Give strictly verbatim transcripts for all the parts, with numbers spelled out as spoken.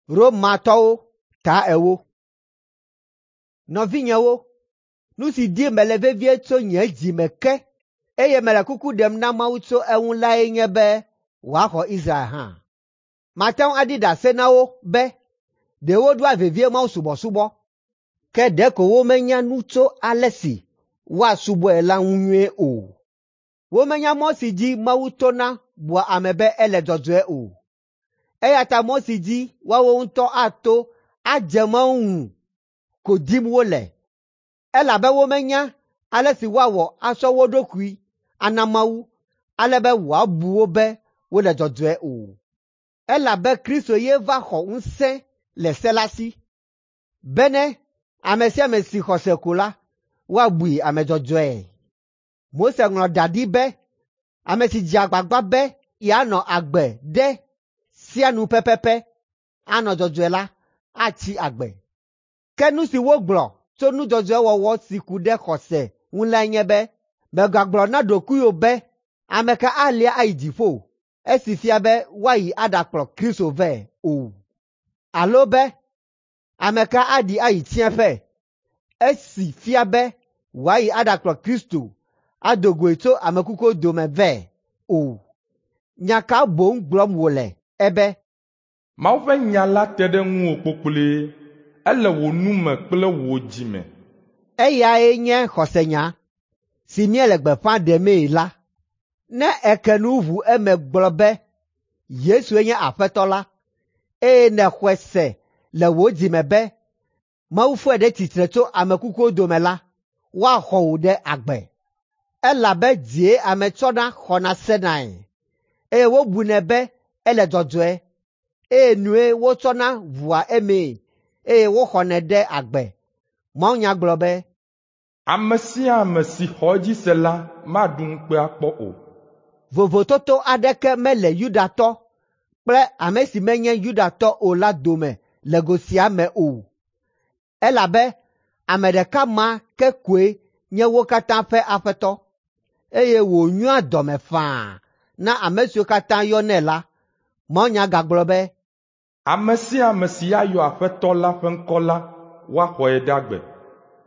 Romatɔwo ta ewo. Nɔvinyewo, nu si dim mele vevie tso nye dzi me ke, eye mele kuku ɖem na Mawu tso eŋu lae nye be wòaxɔ Israel hã. Mate ŋu aɖi ɖase na wo be ɖe wodoa vevie mawusubɔsubɔ, ke ɖeko womenya nu tso ale si woasubɔe la ŋu nyuie o. Womenya mɔ si dzi Mawu tona bua ame be ele dzɔdzɔe o. Eya ta mɔ si dzi woawo ŋutɔ ato adze Mawu ŋu ko dim wole, elabe womenya ale si woawɔ atsɔ wo ɖokui ana Mawu ale be wòabu wo be wole dzɔdzɔe o. Elabe Kristo ye va xɔ ŋusẽ le se la si, bene ame sia ame si xɔ se ko la, woabui ame dzɔdzɔe. Mose ŋlɔ da ɖi be ame si dze agbagba be yeanɔ agbe ɖe sea nu pɛpɛpɛ anɔ dzɔdzɔe la atsi agbe. Ke nu si wogblɔ tso nu dzɔdzɔe wɔwɔ si ku ɖe xɔse ŋu lae nye be, mègagblɔ na ɖokuiwò be, “Ame ka alia ayi dziƒo?” Esi fia be woayi aɖakplɔ Kristo vɛ o. Alo be, “Ame ka aɖi ayi tsiẽƒe?” Esi fia be wòayi aɖakplɔ Kristo ado goe tso ame kukuwo dome vɛ o. Nya ka boŋ gblɔm wòle ebe, Mawu ƒe nya la te ɖe ŋuwò kpokploe, ele wò nu me kple wò dzi me. Eyae nye xɔsenya si míele gbeƒã ɖemee la. Ne èke nu ʋu eme gblɔ be Yesue nye Aƒetɔ la, eye nèxɔe se le wò dzi me be Mawu fɔe ɖe tsitre tso ame kukuwo dome la, woaxɔ wò ɖe agbe. Elabe dzie ame tsɔna xɔna senae, eye wobunɛ be ele dzɔdzɔe, eye nue wotsɔna ʋua emee, eye woxɔnɛ ɖe agbe. Mawunya gblɔ be, Ame sia ame si xɔ edzi se la maɖu ŋukpe akpɔ o. Vovototo aɖeke mele Yudatɔ kple ame si menye Yudatɔ o la dome le go sia me o, elabe ame ɖeka ma ke koe nye wo katã ƒe Aƒetɔ, eye wònyoa dɔme faa na ame siwo katã yɔnɛ la. Mawunya gagblɔ be, Ame sia ame si ayɔ Aƒetɔ la ƒe ŋkɔ la, woaxɔe ɖe agbe.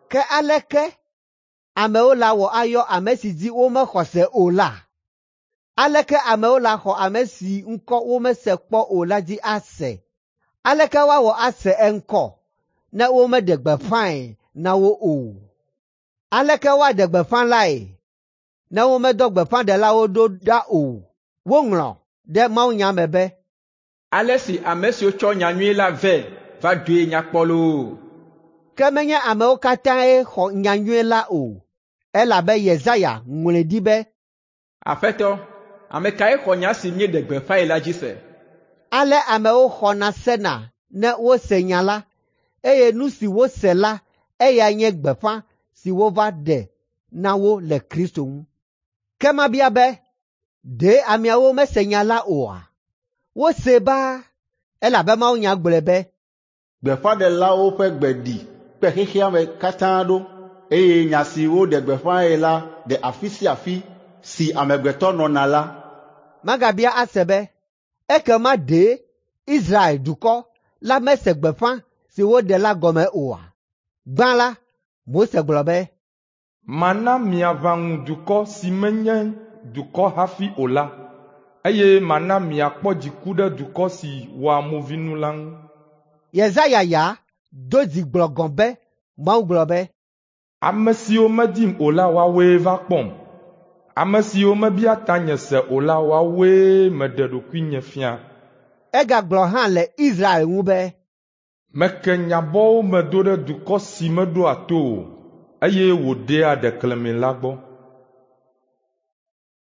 Ke aleke amewo lawɔ ayɔ ame si dzi womexɔ se o la? Aleke amewo laxɔ ame si ŋkɔ womese kpɔ o la dzi ase? Aleke woawɔ ase eŋkɔ ne womeɖe gbeƒãe na wo o? Aleke woaɖe gbeƒã lae ne womedɔ gbeƒãɖelawo ɖo ɖa o? Woŋlɔ ɖe mawunya me be, Ale si ame siwo tsɔ nyanyui la vɛ va doe nya kpɔ loo. Ke menye amewo katãe xɔ nyanyui la o, elabe Yesaya ŋlɔe ɖi be, Aƒetɔ, ame kae xɔ nya si míeɖe gbeƒãe la dzi se? Ale amewo xɔna sena ne wose nya la, eye nu si wose la eyae nye gbeƒã si wova ɖe na wo le Kristo ŋu. Ke mabia be, ɖe ameawo mese nya la oa? Wosee baa, elabe mawunya gblɔe be, Gbeƒãɖelawo ƒe gbe ɖi kpe xexea me katã ɖo, eye nya si woɖe gbeƒãe la de afi sia afi si amegbetɔ nɔna la. Magabia ase be, ekema ɖe Israel dukɔ la mese gbeƒã si woɖe la gɔme oa? Gbã la, Mose gblɔ be, Mana miaʋã ŋu dukɔ si menye dukɔ hafi o la, eye mana miakpɔ dziku ɖe dukɔ si wɔa movinu la ŋu. Yesaya ya do dzi gblɔ gɔ̃ be Mawu gblɔ be, Ame siwo medim o la woawoe va kpɔm. Ame siwo mebia tanye se o la woawoe meɖe ɖokuinye fia. Egagblɔ hã le Israel ŋu be, Meke nye abɔwo me do ɖe dukɔ si meɖoa to o, eye wòɖea ɖeklemi la gbɔ.